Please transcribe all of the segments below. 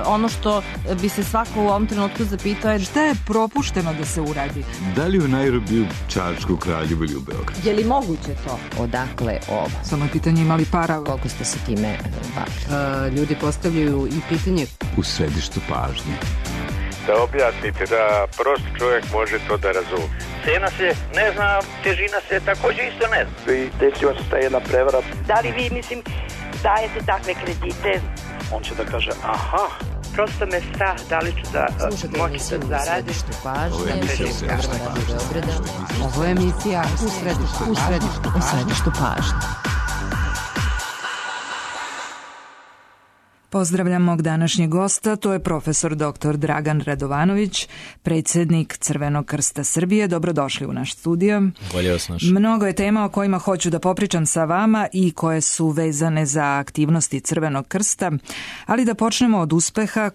ono što bi se svako u ovom trenutku zapitao je šta je propušteno da se uradi? Da li u Nairobiju, Čačku, Kraljevu ili u Beogradu? Je li moguće to? Odakle ovo? Samo je pitanje imali para. Koliko ste se time bavili? Ljudi postavljaju i pitanje U središtu pažnje. Da objasnite, da prost čovjek može to da razumije. Cena se ne zna, težina se također isto ne zna. I desila se ta jedna prevara. Da li vi, dajete takve kredite? On će da kaže, aha. Prosto me strah, da li ću da moći da zaradim. Ovo je emisija U središtu pažnje. Pozdravljam mog današnjeg gosta, to je profesor dr. Dragan Radovanović, predsjednik Crvenog krsta Srbije. Dobrodošli u naš studio. Bolje vas našli. Mnogo je tema o kojima hoću da popričam sa vama i koje su vezane za aktivnosti Crvenog krsta, ali da počnemo od uspeha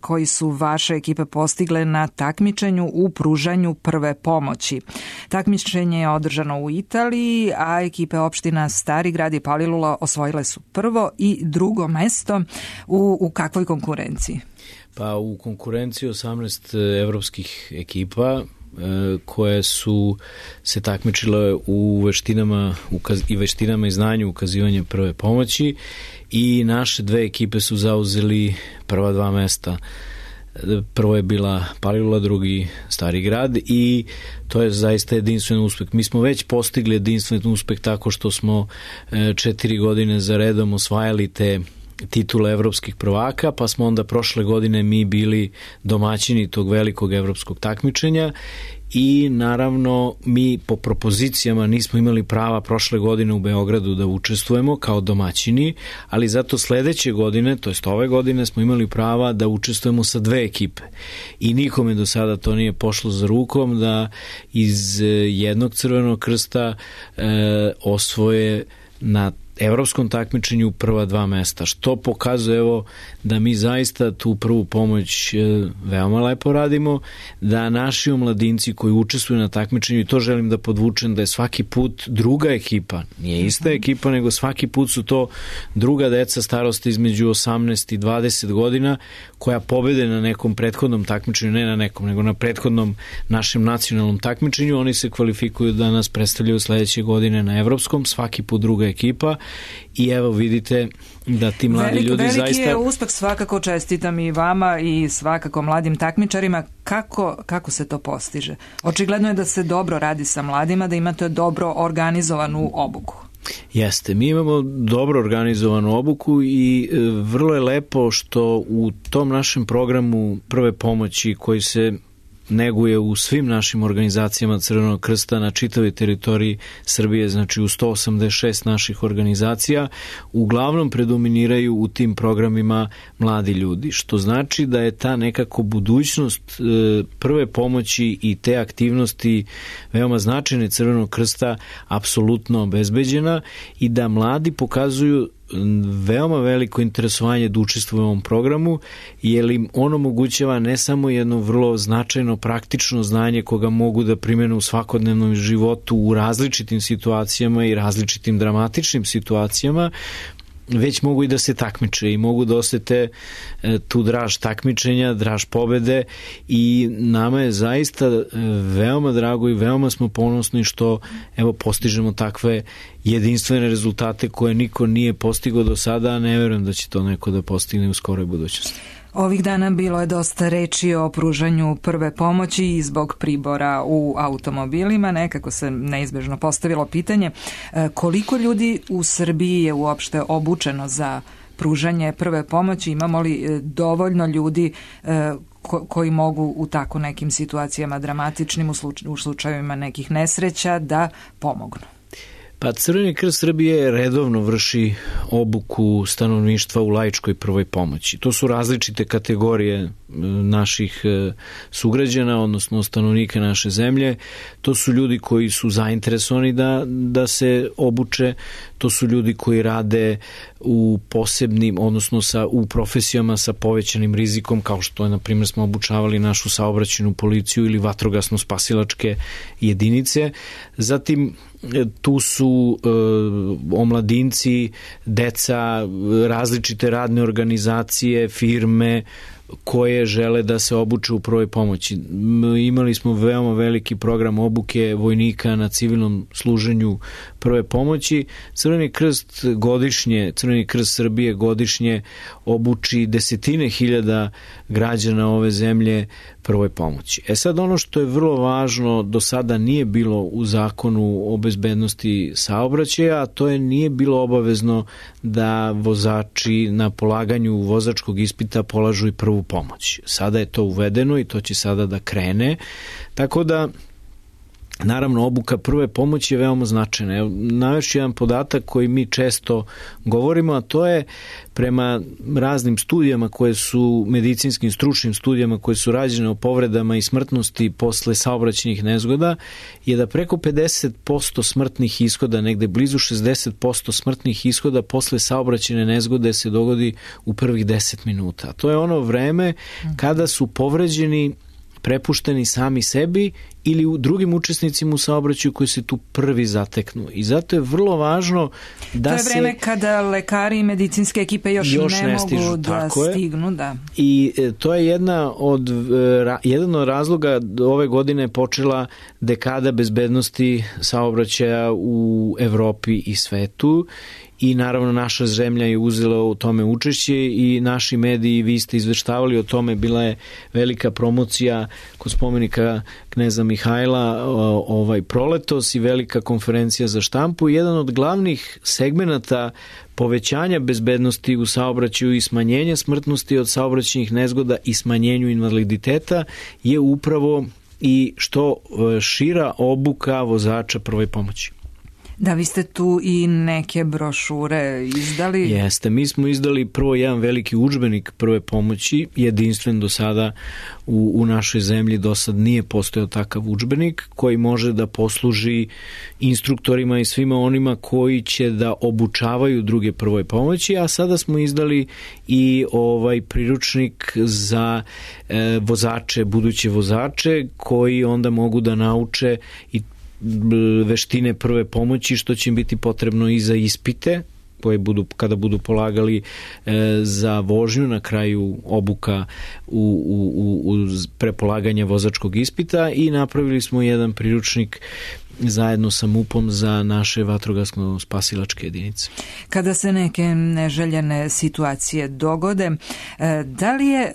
koji su vaše ekipe postigle na takmičenju u pružanju prve pomoći. Takmičenje je održano u Italiji, a ekipe opština Stari Grad i Palilula osvojile su prvo i drugo mesto. U kakvoj konkurenciji? Pa u konkurenciji 18 evropskih ekipa koje su se takmičile u veštinama i znanju ukazivanja prve pomoći i naše dve ekipe su zauzeli prva dva mesta. Prvo je bila Palilula, drugi Stari Grad i to je zaista jedinstven uspeh. Mi smo već postigli jedinstven uspeh tako što smo 4 godine za redom osvajali te titule evropskih prvaka, pa smo onda prošle godine mi bili domaćini tog velikog evropskog takmičenja i naravno mi po propozicijama nismo imali prava prošle godine u Beogradu da učestvujemo kao domaćini, ali zato sledeće godine, to jest ove godine, smo imali prava da učestvujemo sa dve ekipe i nikome do sada to nije pošlo za rukom da iz jednog Crvenog krsta osvoje na evropskom takmičenju prva dva mesta, što pokazuje evo da mi zaista tu prvu pomoć veoma lepo radimo, da naši omladinci koji učestvuju na takmičenju, i to želim da podvučem, da je svaki put druga ekipa, nije ista ekipa, nego svaki put su to druga deca starosti između 18 i 20 godina koja pobede na nekom prethodnom takmičenju, ne na nekom, nego na prethodnom našem nacionalnom takmičenju, oni se kvalifikuju da nas predstavljaju sledeće godine na evropskom, svaki put druga ekipa. I evo vidite da ti mladi ljudi veliki zaista... Veliki je uspeh, svakako čestitam i vama i svakako mladim takmičarima. Kako se to postiže? Očigledno je da se dobro radi sa mladima, da imate dobro organizovanu obuku. Jeste, mi imamo dobro organizovanu obuku i vrlo je lepo što u tom našem programu prve pomoći koji se neguje u svim našim organizacijama Crvenog krsta na čitavoj teritoriji Srbije, znači u 186 naših organizacija, uglavnom predominiraju u tim programima mladi ljudi, što znači da je ta nekako budućnost prve pomoći i te aktivnosti veoma značajne Crvenog krsta apsolutno obezbeđena i da mladi pokazuju veoma veliko interesovanje da učestvuju u ovom programu, jer im on omogućava ne samo jedno vrlo značajno praktično znanje koga mogu da primene u svakodnevnom životu u različitim situacijama i različitim dramatičnim situacijama, već mogu i da se takmiče i mogu da osete tu draž takmičenja, draž pobede i nama je zaista veoma drago i veoma smo ponosni što evo postižemo takve jedinstvene rezultate koje niko nije postigao do sada, a ne verujem da će to neko da postigne u skoroj budućnosti. Ovih dana bilo je dosta reči o pružanju prve pomoći i zbog pribora u automobilima. Nekako se neizbežno postavilo pitanje koliko ljudi u Srbiji je uopšte obučeno za pružanje prve pomoći. Imamo li dovoljno ljudi koji mogu u tako nekim situacijama dramatičnim u slučajevima nekih nesreća da pomognu? Pa Crveni krst Srbije redovno vrši obuku stanovništva u laičkoj prvoj pomoći. To su različite kategorije naših sugrađana, odnosno stanovnika naše zemlje. To su ljudi koji su zainteresovani da se obuče, to su ljudi koji rade u posebnim, odnosno u profesijama sa povećanim rizikom, kao što je, na primjer, smo obučavali našu saobraćajnu policiju ili vatrogasno-spasilačke jedinice. Zatim, tu su su omladinci, deca, različite radne organizacije, firme koje žele da se obuče u prvoj pomoći. Imali smo veoma veliki program obuke vojnika na civilnom služenju prve pomoći. Crveni krst Srbije godišnje obuči desetine hiljada građana ove zemlje prvoj pomoći. Sad ono što je vrlo važno, do sada nije bilo u zakonu o bezbednosti saobraćaja, a to je nije bilo obavezno da vozači na polaganju vozačkog ispita polažu i prvu pomoć. Sada je to uvedeno i to će sada da krene, tako da naravno, obuka prve pomoći je veoma značajna. Navešću jedan podatak koji mi često govorimo, a to je prema raznim studijama koje su, medicinskim stručnim studijama koje su rađene o povredama i smrtnosti posle saobraćajnih nezgoda, je da preko 50% smrtnih ishoda, negde blizu 60% smrtnih ishoda posle saobraćajne nezgode se dogodi u prvih 10 minuta. To je ono vreme kada su povređeni prepušteni sami sebi ili u drugim učesnicima u saobraćaju koji se tu prvi zateknu. I zato je vrlo važno da se... To je vreme kada lekari i medicinske ekipe još ne mogu da stignu. Da. I to je jedan od razloga ove godine je počela dekada bezbednosti saobraćaja u Evropi i svetu. I naravno naša zemlja je uzela u tome učešće i naši mediji, vi ste izveštavali o tome, bila je velika promocija kod spomenika kneza Mihajla proletos i velika konferencija za štampu. Jedan od glavnih segmenata povećanja bezbednosti u saobraćaju i smanjenja smrtnosti od saobraćajnih nezgoda i smanjenju invaliditeta je upravo i što šira obuka vozača prve pomoći. Da, vi ste tu i neke brošure izdali. Jeste, mi smo izdali prvo jedan veliki udžbenik prve pomoći, jedinstven do sada u našoj zemlji, do sad nije postojao takav udžbenik koji može da posluži instruktorima i svima onima koji će da obučavaju druge prvoj pomoći, a sada smo izdali i priručnik za vozače, buduće vozače koji onda mogu da nauče i veštine prve pomoći, što će im biti potrebno i za ispite koje kada budu polagali za vožnju na kraju obuka u prepolaganja vozačkog ispita, i napravili smo jedan priručnik zajedno sa MUP-om za naše vatrogasno-spasilačke jedinice. Kada se neke neželjene situacije dogode, da li je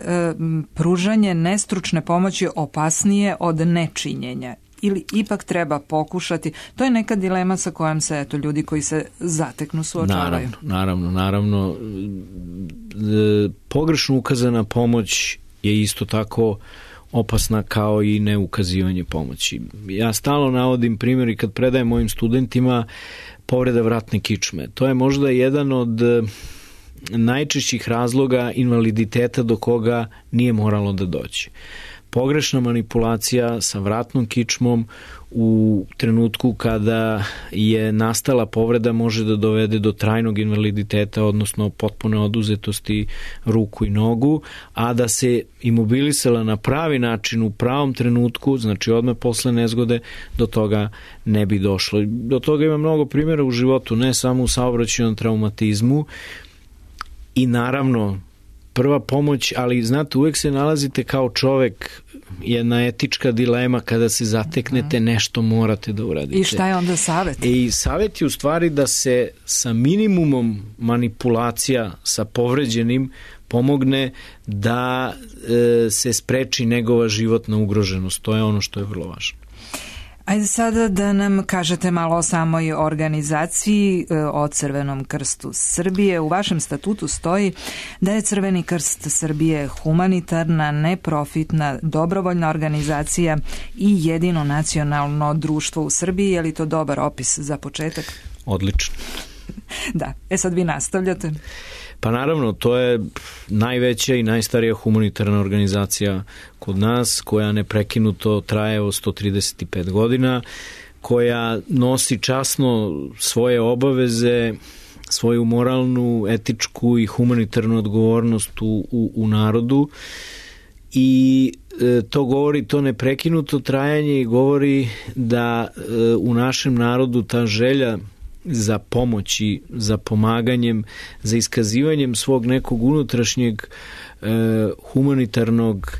pružanje nestručne pomoći opasnije od nečinjenja? Ili ipak treba pokušati? To je neka dilema sa kojom se ljudi koji se zateknu suočavaju. Naravno. Pogrešno ukazana pomoć je isto tako opasna kao i neukazivanje pomoći. Ja stalno navodim primjer i kad predajem mojim studentima povreda vratne kičme. To je možda jedan od najčešćih razloga invaliditeta do koga nije moralo da dođe. Pogrešna manipulacija sa vratnom kičmom u trenutku kada je nastala povreda može da dovede do trajnog invaliditeta, odnosno potpune oduzetosti ruku i nogu, a da se imobilisala na pravi način u pravom trenutku, znači odmah posle nezgode, do toga ne bi došlo. Do toga ima mnogo primjera u životu, ne samo u saobraćajnom traumatizmu. I naravno prva pomoć, ali znate, uvek se nalazite kao čovek, jedna etička dilema kada se zateknete, nešto morate da uradite. I šta je onda savjet? I savjet je u stvari da se sa minimumom manipulacija sa povređenim pomogne da se spreči njegova životna ugroženost. To je ono što je vrlo važno. Ajde sada da nam kažete malo o samoj organizaciji, o Crvenom krstu Srbije. U vašem statutu stoji da je Crveni krst Srbije humanitarna, neprofitna, dobrovoljna organizacija i jedino nacionalno društvo u Srbiji. Je li to dobar opis za početak? Odlično. Da, sad vi nastavljate. Pa naravno, to je najveća i najstarija humanitarna organizacija kod nas, koja neprekinuto traje od 135 godina, koja nosi časno svoje obaveze, svoju moralnu, etičku i humanitarnu odgovornost u narodu, i to neprekinuto trajanje govori da u našem narodu ta želja za pomoći, za pomaganjem, za iskazivanjem svog nekog unutrašnjeg humanitarnog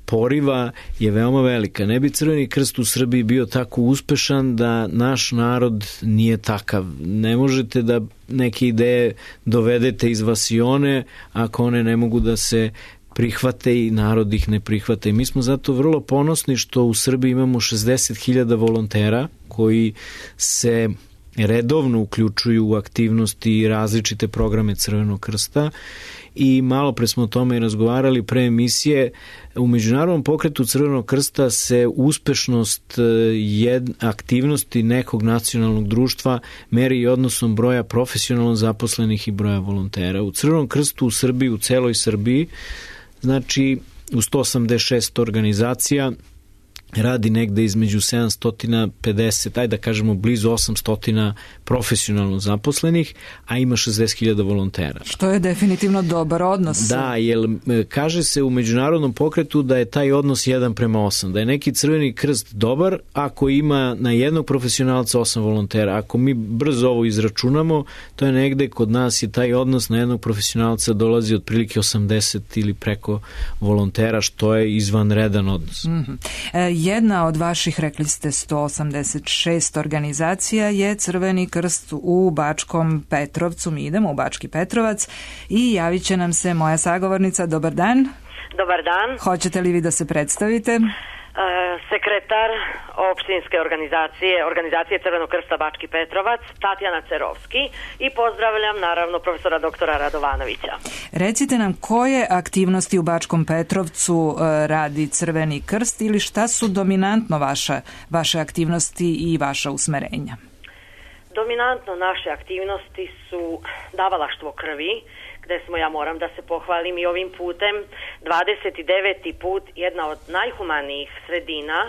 poriva je veoma velika. Ne bi Crveni krst u Srbiji bio tako uspešan da naš narod nije takav. Ne možete da neke ideje dovedete iz vasione ako one ne mogu da se prihvate i narod ih ne prihvate. I mi smo zato vrlo ponosni što u Srbiji imamo 60.000 volontera koji se redovno uključuju u aktivnosti i različite programe Crvenog krsta i malo pre smo o tome i razgovarali pre emisije. U Međunarodnom pokretu Crvenog krsta se uspešnost aktivnosti nekog nacionalnog društva meri odnosom broja profesionalno zaposlenih i broja volontera. U Crvenom krstu u Srbiji, u celoj Srbiji, znači u 186 organizacija radi negde između 750, ajde da kažemo blizu 800 profesionalno zaposlenih, a ima 60.000 volontera. Što je definitivno dobar odnos. Da, jer kaže se u Međunarodnom pokretu da je taj odnos 1:8, da je neki Crveni krst dobar ako ima na jednog profesionalca 8 volontera. Ako mi brzo ovo izračunamo, to je negde kod nas je taj odnos na jednog profesionalca dolazi otprilike 80 ili preko volontera, što je izvanredan odnos. Jedna od vaših, rekli ste 186 organizacija, je Crveni krst u Bačkom Petrovcu. Mi idemo u Bački Petrovac i javit će nam se moja sagovornica. Dobar dan. Dobar dan. Hoćete li vi da se predstavite? Sekretar opštinske organizacije Crvenog krsta Bački Petrovac, Tatjana Cerovski, i pozdravljam naravno profesora doktora Radovanovića. Recite nam koje aktivnosti u Bačkom Petrovcu radi Crveni krst ili šta su dominantno vaše aktivnosti i vaša usmerenja? Dominantno naše aktivnosti su davalaštvo krvi, gde smo, ja moram da se pohvalim i ovim putem, 29. put jedna od najhumanijih sredina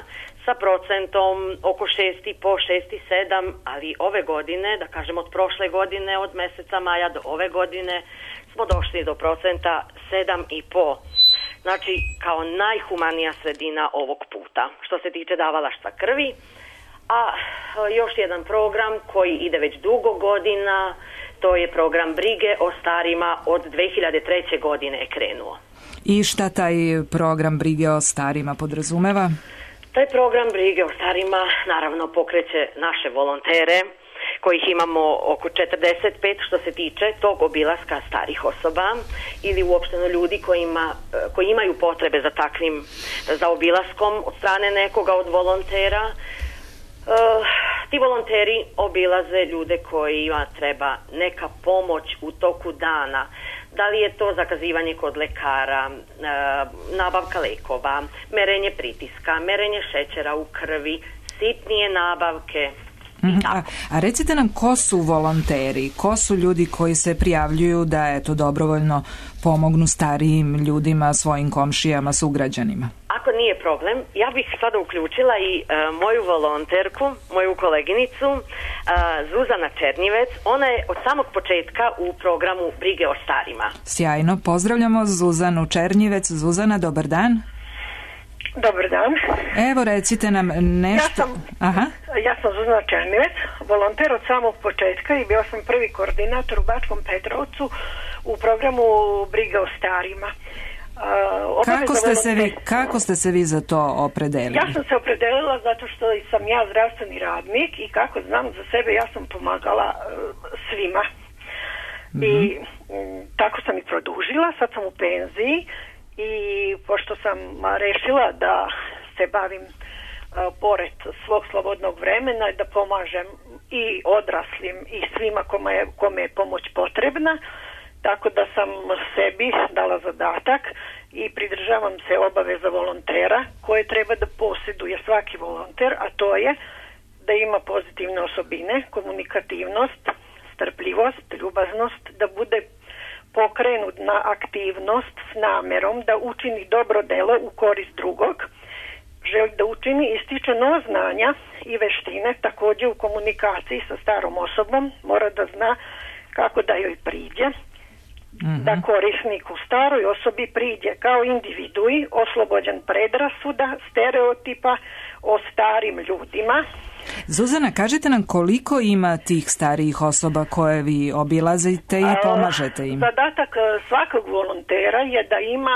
sa procentom oko 6,5, 6,7, ali ove godine, da kažem od prošle godine, od meseca maja do ove godine, smo došli do procenta 7,5. Znači, kao najhumanija sredina ovog puta, što se tiče davalaštva krvi. A još jedan program koji ide već dugo godina, to je program brige o starima, od 2003. godine je krenuo. I šta taj program brige o starima podrazumeva? Taj program brige o starima naravno pokreće naše volontere, kojih imamo oko 45 što se tiče tog obilaska starih osoba ili uopšteno ljudi koji imaju potrebe za obilaskom od strane nekoga od volontera. Ti volonteri obilaze ljude kojima treba neka pomoć u toku dana. Da li je to zakazivanje kod lekara, nabavka lekova, merenje pritiska, merenje šećera u krvi, sitnije nabavke. A recite nam ko su volonteri, ko su ljudi koji se prijavljuju da dobrovoljno pomognu starijim ljudima, svojim komšijama, sugrađanima? Ako nije problem, ja bih sada uključila i moju volonterku, moju koleginicu, Zuzana Černjivec. Ona je od samog početka u programu brige o starima. Sjajno, pozdravljamo Zuzanu Černjivec. Zuzana, dobar dan. Dobar dan. Evo, recite nam nešto. Ja sam Zuzana Černjivec, volonter od samog početka i bio sam prvi koordinator u Bačkom Petrovcu u programu brige o starima. Kako ste se vi za to opredelili? Ja sam se opredelila zato što sam ja zdravstveni radnik i kako znam za sebe, ja sam pomagala svima. I tako sam i produžila, sad sam u penziji i pošto sam rešila da se bavim pored svog slobodnog vremena i da pomažem i odraslim i svima kome je pomoć potrebna, tako da sam sebi dala zadatak i pridržavam se obaveza volontera koje treba da posjeduje svaki volonter, a to je da ima pozitivne osobine, komunikativnost, strpljivost, ljubaznost, da bude pokrenut na aktivnost s namerom da učini dobro delo u korist drugog, želi da učini i stiče nova znanja i veštine, također u komunikaciji sa starom osobom, mora da zna kako da joj priđe, da korisnik u staroj osobi priđe kao individui, oslobođen predrasuda, stereotipa o starim ljudima Zuzana, kažite nam koliko ima tih starijih osoba koje vi obilazite i pomažete im? Zadatak svakog volontera je da ima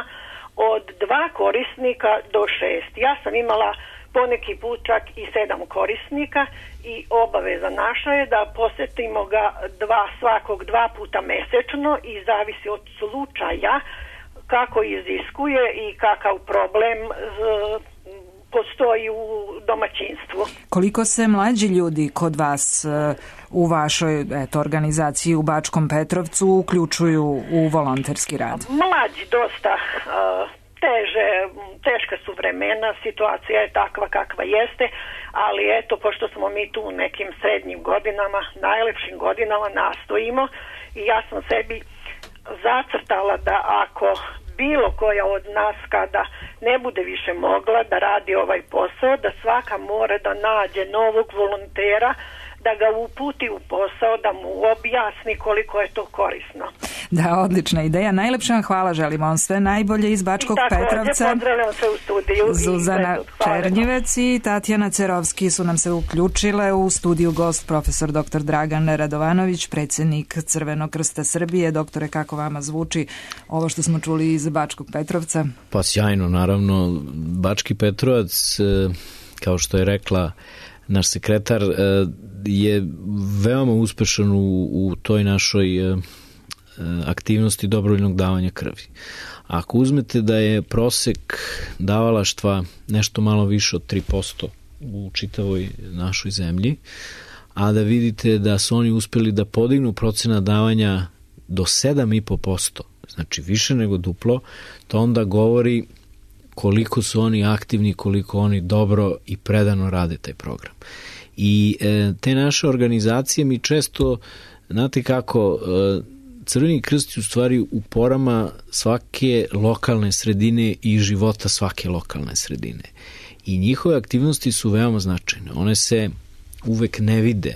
od 2 korisnika do 6. Ja sam imala poneki put čak i 7 korisnika i obaveza naša je da posjetimo ga svakog 2 puta mesečno i zavisi od slučaja kako iziskuje i kakav problem postoji u domaćinstvu. Koliko se mlađi ljudi kod vas u vašoj organizaciji u Bačkom Petrovcu uključuju u volonterski rad? Mlađi dosta teška su vremena, situacija je takva kakva jeste, ali eto, pošto smo mi tu u nekim srednjim godinama, najlepšim godinama nastojimo i ja sam sebi zacrtala da ako bilo koja od nas kada ne bude više mogla da radi ovaj posao, da svaka mora da nađe novog volontera, da ga uputi u posao, da mu objasni koliko je to korisno. Da, odlična ideja. Najlepša vam hvala, želimo vam sve najbolje iz Bačkog Petrovca. Pozdravljam se u studiju. Zuzana Černjevec i Tatjana Cerovski su nam se uključile u studiju gost profesor dr. Dragan Radovanović, predsjednik Crvenog krsta Srbije. Doktore, kako vama zvuči ovo što smo čuli iz Bačkog Petrovca? Pa sjajno, naravno. Bački Petrovac, kao što je rekla naš sekretar, je veoma uspešan u toj našoj aktivnosti dobrovoljnog davanja krvi. Ako uzmete da je prosek davalaštva nešto malo više od 3% u čitavoj našoj zemlji, a da vidite da su oni uspeli da podignu procenat davanja do 7,5%, znači više nego duplo, to onda govori koliko su oni aktivni, koliko oni dobro i predano rade taj program. I te naše organizacije mi često, znate kako, Crveni krst je u stvari u porama svake lokalne sredine i života svake lokalne sredine. I njihove aktivnosti su veoma značajne. One se uvek ne vide,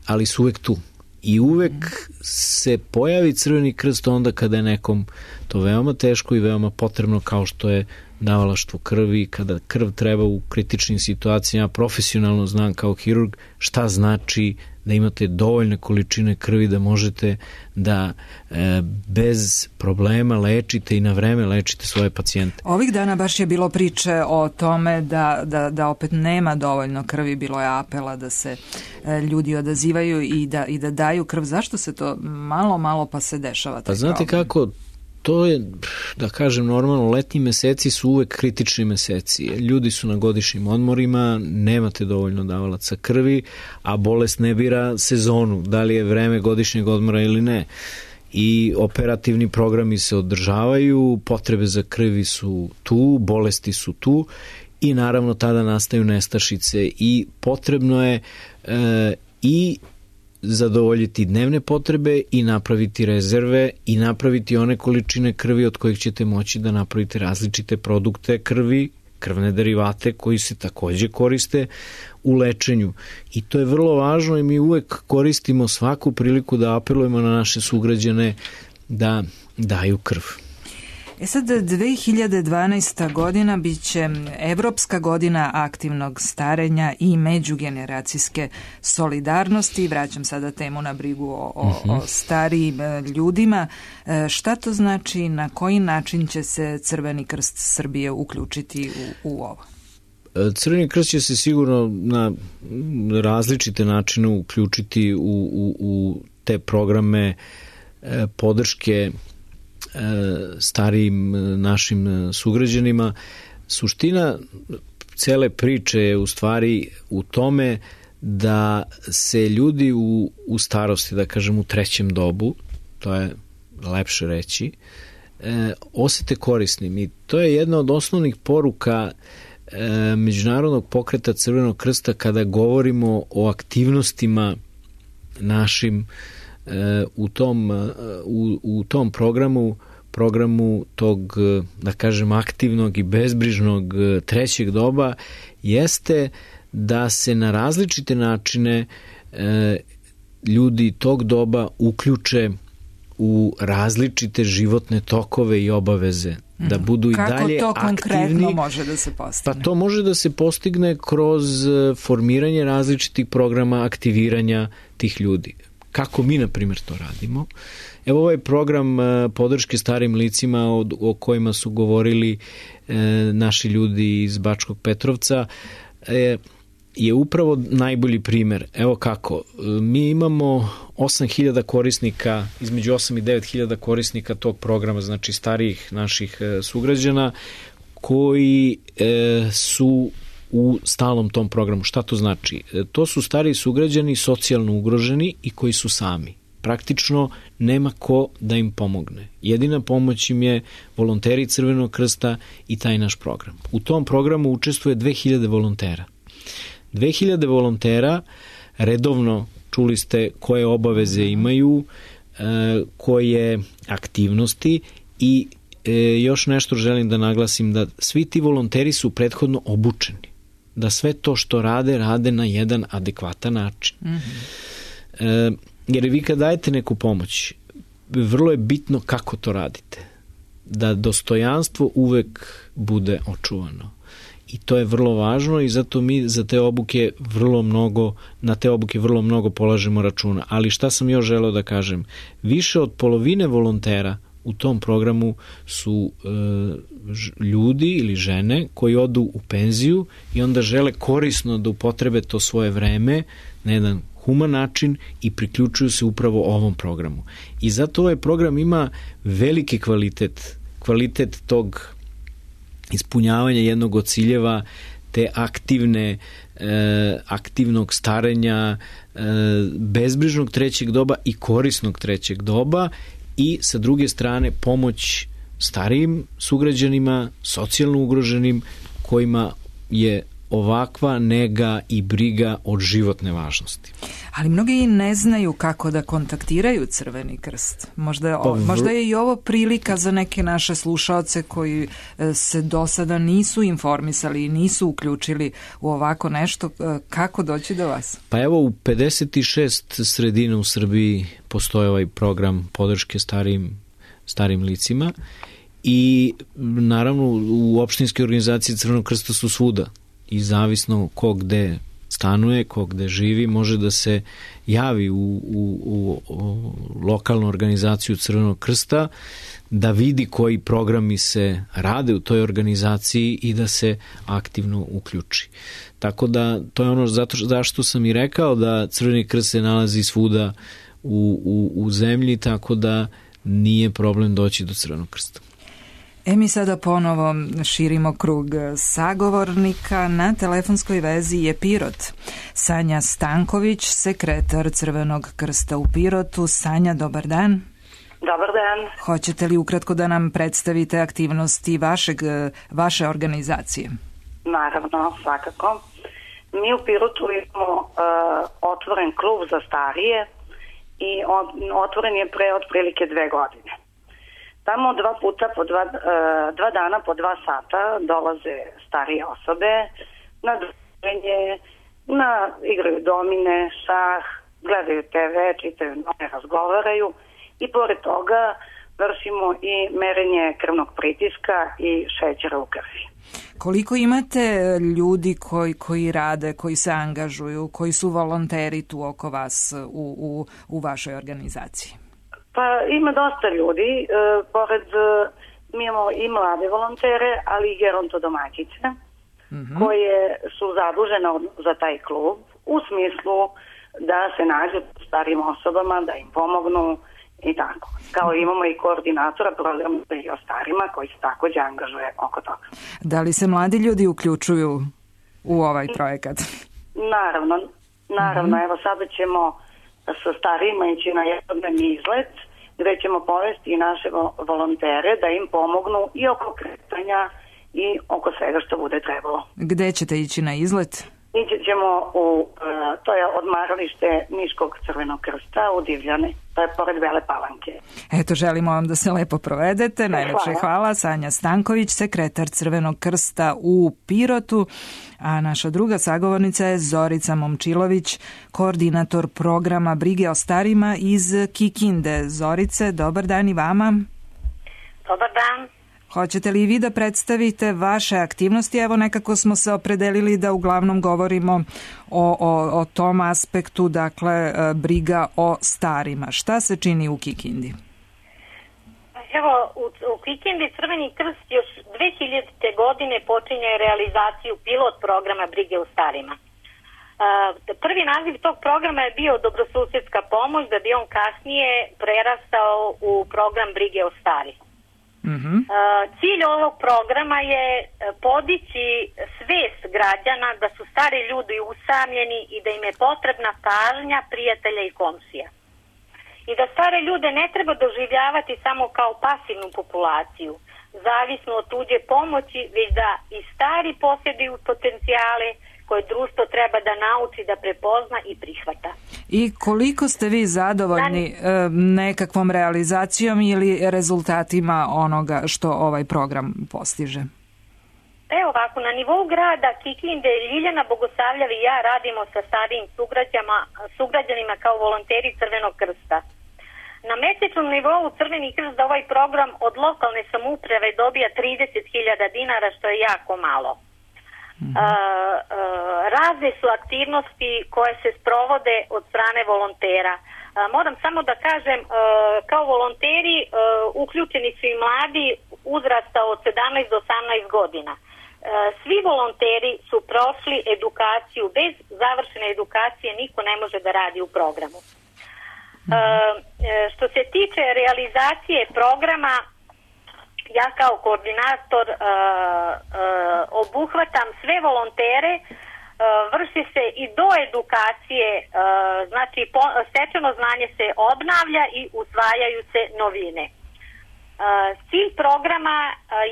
ali su uvek tu. I uvek se pojavi Crveni krst onda kada je nekom to veoma teško i veoma potrebno, kao što je davalaštvo krvi, kada krv treba u kritičnim situacijama. Profesionalno znam kao hirurg šta znači da imate dovoljne količine krvi da možete da bez problema lečite i na vreme lečite svoje pacijente. Ovih dana baš je bilo priče o tome da opet nema dovoljno krvi, bilo je apela da se ljudi odazivaju i da daju krv. Zašto se to malo pa se dešava? Pa znate kako, to je, da kažem normalno, letnji meseci su uvek kritični meseci. Ljudi su na godišnjim odmorima, nemate dovoljno davalaca krvi, a bolest ne bira sezonu, da li je vreme godišnjeg odmora ili ne. I operativni programi se održavaju, potrebe za krvi su tu, bolesti su tu i naravno tada nastaju nestašice i potrebno je i zadovoljiti dnevne potrebe i napraviti rezerve i napraviti one količine krvi od kojih ćete moći da napravite različite produkte krvi, krvne derivate koji se takođe koriste u lečenju. I to je vrlo važno i mi uvek koristimo svaku priliku da apelujemo na naše sugrađane da daju krv. Sad, 2012. godina bit će Evropska godina aktivnog starenja i međugeneracijske solidarnosti. Vraćam sada temu na brigu o starijim ljudima. Šta to znači, na koji način će se Crveni krst Srbije uključiti u ovo? Crveni krst će se sigurno na različite načine uključiti u te programe podrške starijim našim sugrađanima. Suština cele priče je u stvari u tome da se ljudi u starosti, da kažem u trećem dobu, to je lepše reći, osete korisnim. I to je jedna od osnovnih poruka Međunarodnog pokreta Crvenog krsta kada govorimo o aktivnostima našim u tom programu tog, da kažem, aktivnog i bezbrižnog trećeg doba, jeste da se na različite načine ljudi tog doba uključe u različite životne tokove i obaveze, da budu i dalje aktivni. Kako to konkretno može da se postigne? Pa to može da se postigne kroz formiranje različitih programa aktiviranja tih ljudi. Kako mi, na primjer, to radimo? Evo ovaj program podrške starim licima o kojima su govorili naši ljudi iz Bačkog Petrovca je upravo najbolji primer. Evo kako, mi imamo 8.000 korisnika, između 8 i 9.000 korisnika tog programa, znači starijih naših sugrađana, koji su u stalnom tom programu. Šta to znači? To su stariji sugrađani, socijalno ugroženi i koji su sami. Praktično nema ko da im pomogne. Jedina pomoć im je volonteri Crvenog krsta i taj naš program. U tom programu učestvuje 2.000 volontera. 2.000 volontera redovno, čuli ste koje obaveze imaju, koje aktivnosti i još nešto želim da naglasim, da svi ti volonteri su prethodno obučeni. Da sve to što rade na jedan adekvatan način. Jer vi kad dajete neku pomoć, vrlo je bitno kako to radite. Da dostojanstvo uvek bude očuvano. I to je vrlo važno i zato mi za te obuke na te obuke vrlo mnogo polažemo računa. Ali šta sam još želeo da kažem? Više od polovine volontera u tom programu su ljudi ili žene koji odu u penziju i onda žele korisno da upotrebe to svoje vreme na jedan human način i priključuju se upravo ovom programu. I zato ovaj program ima veliki kvalitet tog ispunjavanja jednog od ciljeva, te aktivnog starenja, bezbrižnog trećeg doba i korisnog trećeg doba, i sa druge strane pomoć starijim sugrađanima, socijalno ugroženim, kojima je ovakva nega i briga od životne važnosti. Ali mnogi ne znaju kako da kontaktiraju Crveni krst. Možda je i ovo prilika za neke naše slušaoce koji se do sada nisu informisali i nisu uključili u ovako nešto. Kako doći do vas? Pa evo, u 56 sredina u Srbiji postoji ovaj program podrške starim licima i naravno u opštinske organizacije Crvenog krsta su svuda. I zavisno ko gde stanuje, ko gde živi, može da se javi u lokalnu organizaciju Crvenog krsta, da vidi koji programi se rade u toj organizaciji i da se aktivno uključi. Tako da to je ono zašto sam i rekao da Crveni krst se nalazi svuda u zemlji, tako da nije problem doći do Crvenog krsta. Mi sada ponovo širimo krug sagovornika. Na telefonskoj vezi je Pirot. Sanja Stanković, sekretar Crvenog krsta u Pirotu. Sanja, dobar dan. Dobar dan. Hoćete li ukratko da nam predstavite aktivnosti vaše organizacije? Naravno, svakako. Mi u Pirotu imamo otvoren klub za starije i otvoren je pre otprilike 2 godine. Tamo 2 puta po 2 dana po 2 sata dolaze starije osobe na druženje, igraju domine, šah, gledaju TV, čitaju novine, razgovaraju i pored toga vršimo i merenje krvnog pritiska i šećera u krvi. Koliko imate ljudi koji rade, koji se angažuju, koji su volonteri tu oko vas u vašoj organizaciji? Pa ima dosta ljudi, mi imamo i mlade volontere, ali i gerontodomaćice, koje su zadužene za taj klub, u smislu da se nađu starijim osobama, da im pomognu i tako. Kao imamo i koordinatora programa i o starima koji se takođe angažuje oko toga. Da li se mladi ljudi uključuju u ovaj projekat? Naravno, evo sada ćemo sa starijima ići na jedan izlet gde ćemo povesti i naše volontere da im pomognu i oko kretanja i oko svega što bude trebalo. Gde ćete ići na izlet? ići ćemo to je odmaralište Niškog Crvenog krsta u Divljane, to je pored Bele Palanke. Eto, želimo vam da se lepo provedete. Najlepše hvala. Sanja Stanković, sekretar Crvenog krsta u Pirotu, a naša druga sagovornica je Zorica Momčilović, koordinator programa Brige o starima iz Kikinde. Zorice, dobar dan i vama. Dobar dan. Hoćete li vi da predstavite vaše aktivnosti? Evo, nekako smo se opredelili da uglavnom govorimo o tom aspektu, dakle, briga o starima. Šta se čini u Kikindi? Evo, u Kikindi Crveni krst još 2000. godine počinje realizaciju pilot programa Brige o starima. Prvi naziv tog programa je bio Dobrosusjedska pomoć, da bi on kasnije prerastao u program Brige o starima. Cilj ovog programa je podići svest građana da su stari ljudi usamljeni i da im je potrebna pažnja prijatelja i komšija. I da stare ljude ne treba doživljavati samo kao pasivnu populaciju, zavisno od tuđe pomoći, već da i stari posjeduju potencijale koje društvo treba da nauči da prepozna i prihvata. I koliko ste vi zadovoljni nekakvom realizacijom ili rezultatima onoga što ovaj program postiže? Evo ovako, na nivou grada Kikinde, Ljiljana Bogosavljev i ja radimo sa starijim sugrađanima kao volonteri Crvenog krsta. Na mesečnom nivou Crveni krst za ovaj program od lokalne samouprave dobija 30.000 dinara, što je jako malo. Razne su aktivnosti koje se sprovode od strane volontera. Moram samo da kažem, kao volonteri uključeni su i mladi uzrasta od 17 do 18 godina. Svi volonteri su prošli edukaciju. Bez završene edukacije niko ne može da radi u programu. Što se tiče realizacije programa, ja kao koordinator obuhvatam sve volontere, vrši se i do edukacije, znači stečeno znanje se obnavlja i usvajaju se novine. Cilj programa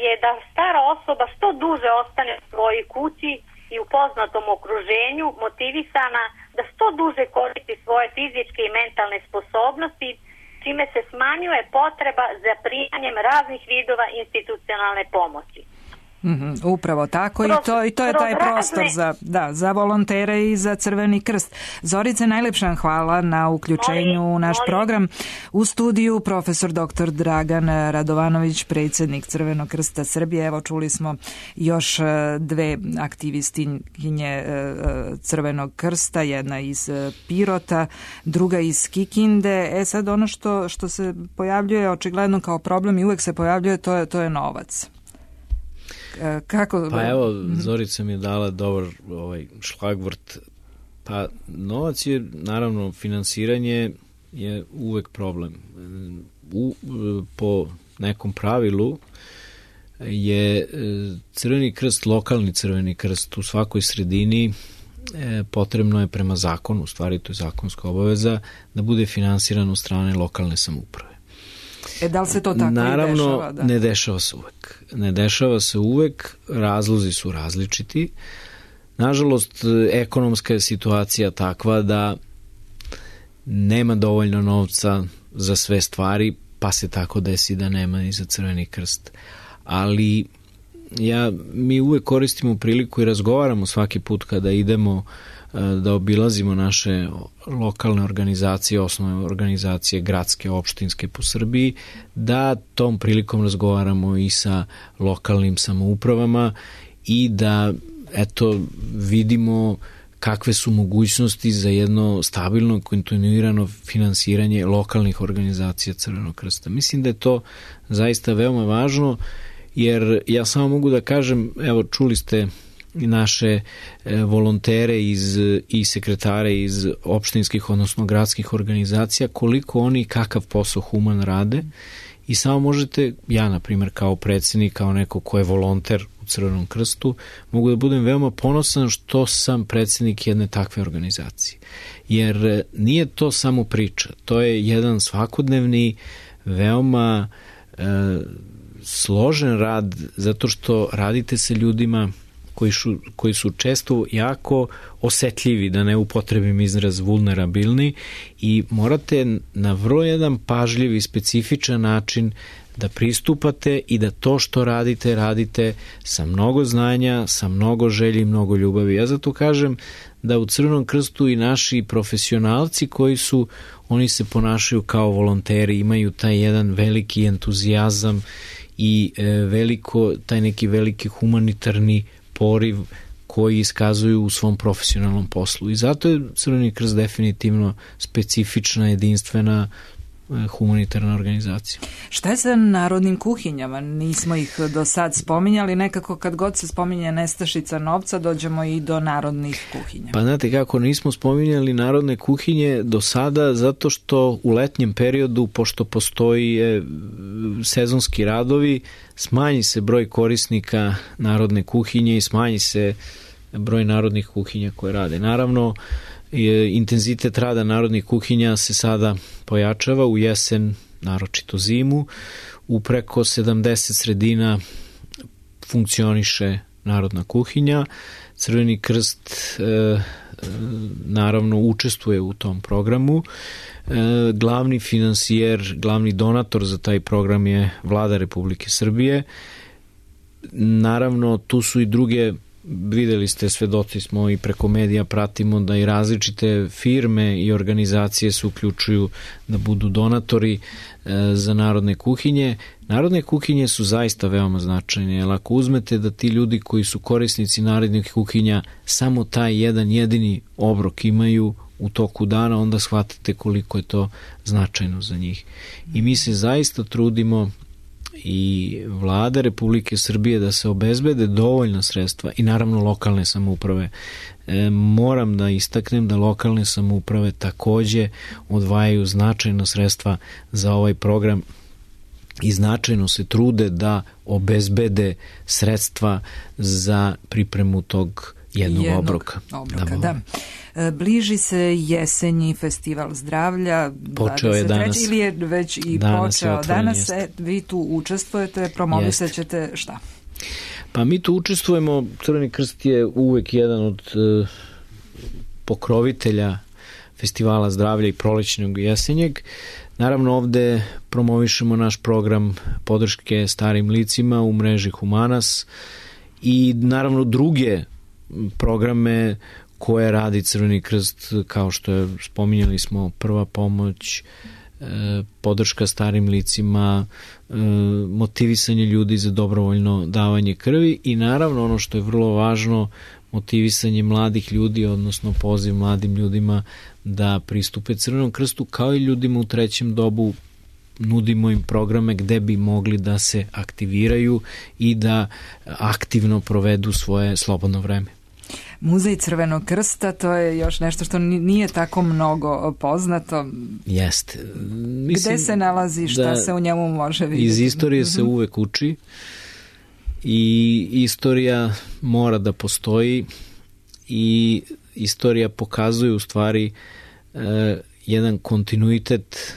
je da stara osoba što duže ostane u svojoj kući i u poznatom okruženju, motivisana da što duže koristi svoje fizičke i mentalne sposobnosti, čime se smanjuje potreba za primanjem raznih vidova institucionalne pomoći. Upravo tako, i to je taj prostor za volontere i za Crveni krst. Zorice, najlepša hvala na uključenju u naš program. U studiju profesor dr. Dragan Radovanović, predsjednik Crvenog krsta Srbije. Evo, čuli smo još dve aktivistinje Crvenog krsta, jedna iz Pirota, druga iz Kikinde. Sad ono što se pojavljuje očigledno kao problem i uvek se pojavljuje, to je novac. Pa evo, Zorica mi je dala dobar šlagvort. Pa novac je, naravno, finansiranje je uvek problem. Po nekom pravilu je Crveni krst, lokalni Crveni krst u svakoj sredini potrebno je prema zakonu, u stvari to je zakonska obaveza, da bude finansiran od strane lokalne samouprave. Da li se to tako naravno, i dešava? Da. Ne dešava se uvek. Ne dešava se uvek, razlozi su različiti. Nažalost, ekonomska je situacija takva da nema dovoljno novca za sve stvari, pa se tako desi da nema ni za Crveni krst. Ali mi uvek koristimo priliku i razgovaramo svaki put kada idemo da obilazimo naše lokalne organizacije, osnovne organizacije, gradske, opštinske po Srbiji, da tom prilikom razgovaramo i sa lokalnim samoupravama i da vidimo kakve su mogućnosti za jedno stabilno, kontinuirano finansiranje lokalnih organizacija Crvenog krsta. Mislim da je to zaista veoma važno, jer ja samo mogu da kažem, evo, čuli ste naše volontere i sekretare iz opštinskih, odnosno gradskih organizacija, koliko oni kakav posao human rade, i samo možete, ja na primjer kao predsjednik, kao neko ko je volonter u Crvenom krstu, mogu da budem veoma ponosan što sam predsjednik jedne takve organizacije. Jer nije to samo priča, to je jedan svakodnevni, veoma složen rad, zato što radite sa ljudima koji su često jako osetljivi, da ne upotrebim izraz vulnerabilni, i morate na vrlo jedan pažljiv i specifičan način da pristupate i da to što radite sa mnogo znanja, sa mnogo želji i mnogo ljubavi. Ja zato kažem da u Crvenom krstu i naši profesionalci oni se ponašaju kao volonteri, imaju taj jedan veliki entuzijazam i taj neki veliki humanitarni poriv koji iskazuju u svom profesionalnom poslu. I zato je Crveni krst definitivno specifična, jedinstvena humanitarna organizacija. Šta je sa narodnim kuhinjama? Nismo ih do sad spominjali, nekako kad god se spominje nestašica novca dođemo i do narodnih kuhinja. Pa znate kako, nismo spominjali narodne kuhinje do sada zato što u letnjem periodu, pošto postoji sezonski radovi, smanji se broj korisnika narodne kuhinje i smanji se broj narodnih kuhinja koje rade. Naravno, intenzitet rada narodnih kuhinja se sada pojačava u jesen, naročito zimu. U preko 70 sredina funkcioniše narodna kuhinja. Crveni krst naravno učestvuje u tom programu. Glavni finansijer, glavni donator za taj program je Vlada Republike Srbije. Naravno, tu su i druge, videli ste, svedoci smo i preko medija pratimo da i različite firme i organizacije se uključuju da budu donatori za narodne kuhinje. Narodne kuhinje su zaista veoma značajne, jer ako uzmete da ti ljudi koji su korisnici narodnih kuhinja samo taj jedan jedini obrok imaju u toku dana, onda shvatite koliko je to značajno za njih. I mi se zaista trudimo, i Vlada Republike Srbije, da se obezbede dovoljna sredstva i naravno lokalne samouprave. Moram da istaknem da lokalne samouprave takođe odvajaju značajna sredstva za ovaj program i značajno se trude da obezbede sredstva za pripremu tog jednog obroka. Da. Bliži se jesenji festival zdravlja. Počeo je danas. Ili je već i počeo danas. Vi tu učestvujete, promovisat ćete šta? Pa mi tu učestvujemo, Crveni krst je uvek jedan od pokrovitelja festivala zdravlja i prolećnog i jesenjeg. Naravno, ovde promovišemo naš program podrške starim licima u mreži Humanas i naravno druge programe koje radi Crveni krst, kao što je, spominjali smo, prva pomoć, podrška starim licima, motivisanje ljudi za dobrovoljno davanje krvi i naravno ono što je vrlo važno, motivisanje mladih ljudi, odnosno poziv mladim ljudima da pristupe Crvenom krstu, kao i ljudima u trećem dobu. Nudimo im programe gde bi mogli da se aktiviraju i da aktivno provedu svoje slobodno vreme. Muzej Crvenog krsta, to je još nešto što nije tako mnogo poznato. Jeste. Gde se nalazi, šta se u njemu može vidjeti? Iz istorije se uvek uči i istorija mora da postoji i istorija pokazuje u stvari jedan kontinuitet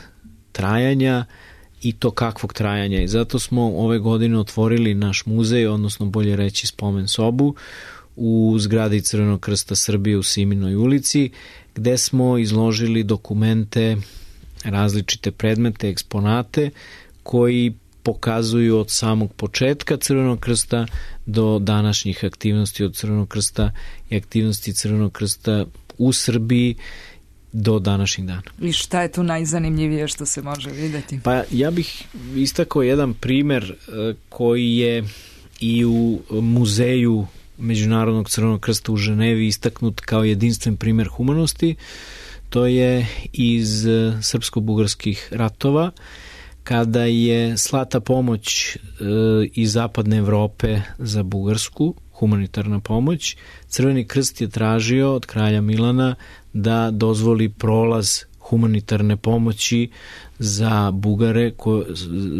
trajanja i to kakvog trajanja. I zato smo ove godine otvorili naš muzej, odnosno bolje reći spomen sobu, u zgradi Crvenog krsta Srbije u Siminoj ulici, gde smo izložili dokumente, različite predmete, eksponate koji pokazuju od samog početka Crvenog krsta do današnjih aktivnosti od Crvenog krsta i aktivnosti Crvenog krsta u Srbiji do današnjih dana. I šta je tu najzanimljivije što se može vidjeti? Pa ja bih istakao jedan primer koji je i u muzeju Međunarodnog Crvenog krsta u Ženevi istaknut kao jedinstven primer humanosti. To je iz srpsko-bugarskih ratova, kada je slata pomoć iz zapadne Evrope za Bugarsku, humanitarna pomoć. Crveni krst je tražio od kralja Milana da dozvoli prolaz humanitarne pomoći za Bugare,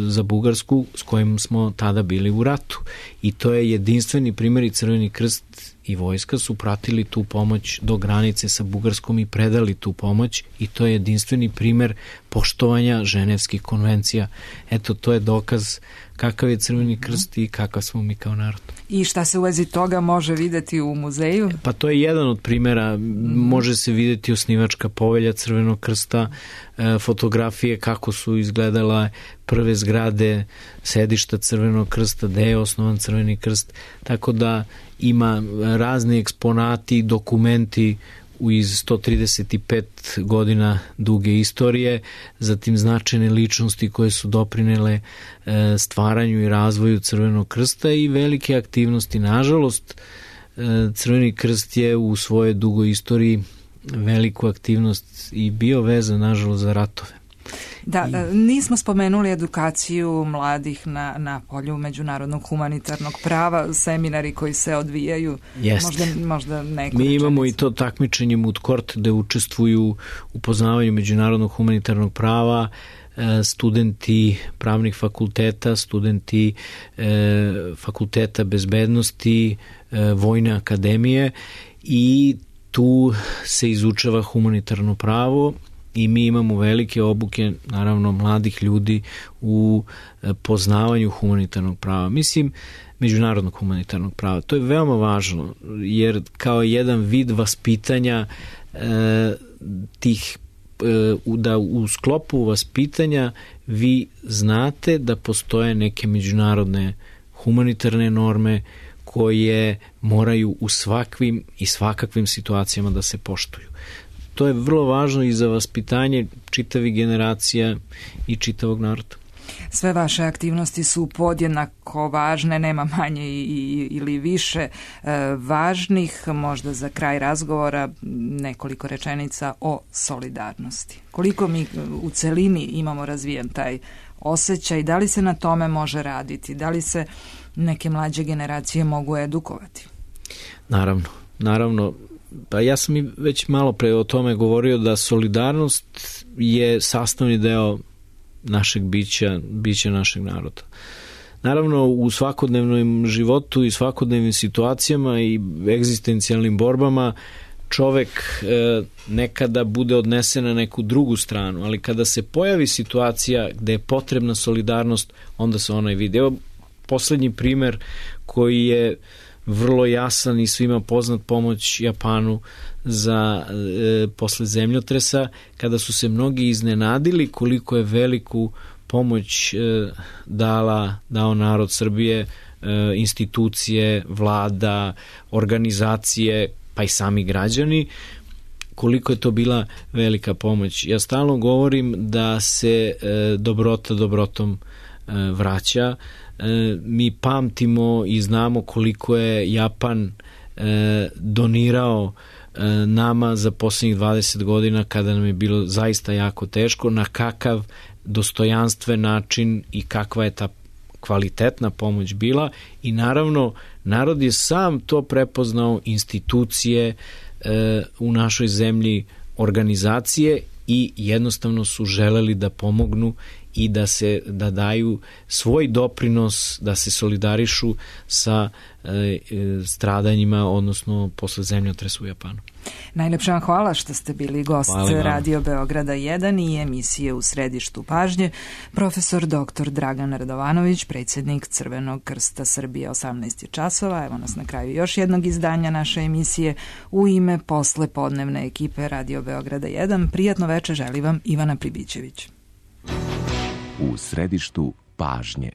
za Bugarsku s kojim smo tada bili u ratu. I to je jedinstveni primjer i Crveni krst i vojska su pratili tu pomoć do granice sa Bugarskom i predali tu pomoć i to je jedinstveni primjer poštovanja ženevskih konvencija. Eto, to je dokaz kakav je Crveni krst i kakav smo mi kao narod. I šta se u vezi toga može videti u muzeju? Pa to je jedan od primjera. Može se vidjeti osnivačka povelja Crvenog krsta, fotografije kako su izgledala prve zgrade, sedišta Crvenog krsta, gde je osnovan Crveni krst, tako da ima razni eksponati, dokumenti iz 135 godina duge istorije, zatim značajne ličnosti koje su doprinele stvaranju i razvoju Crvenog krsta i velike aktivnosti. Nažalost, Crveni krst je u svojoj dugoj istoriji veliku aktivnost i bio vezan, nažalost, za ratove. Da, nismo spomenuli edukaciju mladih na polju međunarodnog humanitarnog prava, seminari koji se odvijaju. Možda neko Mi imamo i to takmičenje Moot Court gde učestvuju u poznavanju međunarodnog humanitarnog prava studenti pravnih fakulteta, studenti fakulteta bezbednosti, Vojne akademije i tu se izučava humanitarno pravo i mi imamo velike obuke, naravno, mladih ljudi u poznavanju humanitarnog prava. Mislim, međunarodnog humanitarnog prava. To je veoma važno, jer kao jedan vid vaspitanja tih, da u sklopu vaspitanja vi znate da postoje neke međunarodne humanitarne norme koje moraju u svakvim i svakakvim situacijama da se poštuju. To je vrlo važno i za vaspitanje čitavih generacija i čitavog naroda. Sve vaše aktivnosti su podjednako važne, nema manje ili više važnih. Možda za kraj razgovora nekoliko rečenica o solidarnosti. Koliko mi u celini imamo razvijen taj osjećaj, da li se na tome može raditi, da li se neke mlađe generacije mogu edukovati? Naravno. Pa ja sam i već malo pre o tome govorio da solidarnost je sastavni deo našeg bića našeg naroda. Naravno, u svakodnevnom životu i svakodnevnim situacijama i egzistencijalnim borbama čovek nekada bude odnesen na neku drugu stranu, ali kada se pojavi situacija gde je potrebna solidarnost, onda se ona i vidi. Evo, poslednji primer koji je vrlo jasan i svima poznat, pomoć Japanu posle zemljotresa, kada su se mnogi iznenadili koliko je veliku pomoć dao narod Srbije, institucije, vlada, organizacije, pa i sami građani, koliko je to bila velika pomoć. Ja stalno govorim da se dobrota dobrotom vraća. Mi pamtimo i znamo koliko je Japan donirao nama za posljednjih 20 godina kada nam je bilo zaista jako teško, na kakav dostojanstven način i kakva je ta kvalitetna pomoć bila i naravno narod je sam to prepoznao, institucije u našoj zemlji, organizacije i jednostavno su želeli da pomognu i da daju svoj doprinos, da se solidarišu sa stradanjima, odnosno posle zemljotresa u Japanu. Najlepša vam hvala što ste bili gost Radio Beograda 1 i emisije U središtu pažnje. Profesor dr. Dragan Radovanović, predsjednik Crvenog krsta Srbije, 18 časova. Evo nas na kraju još jednog izdanja naše emisije. U ime poslepodnevne ekipe Radio Beograda 1 prijatno večer želi vam Ivana Pribićević. U središtu pažnje.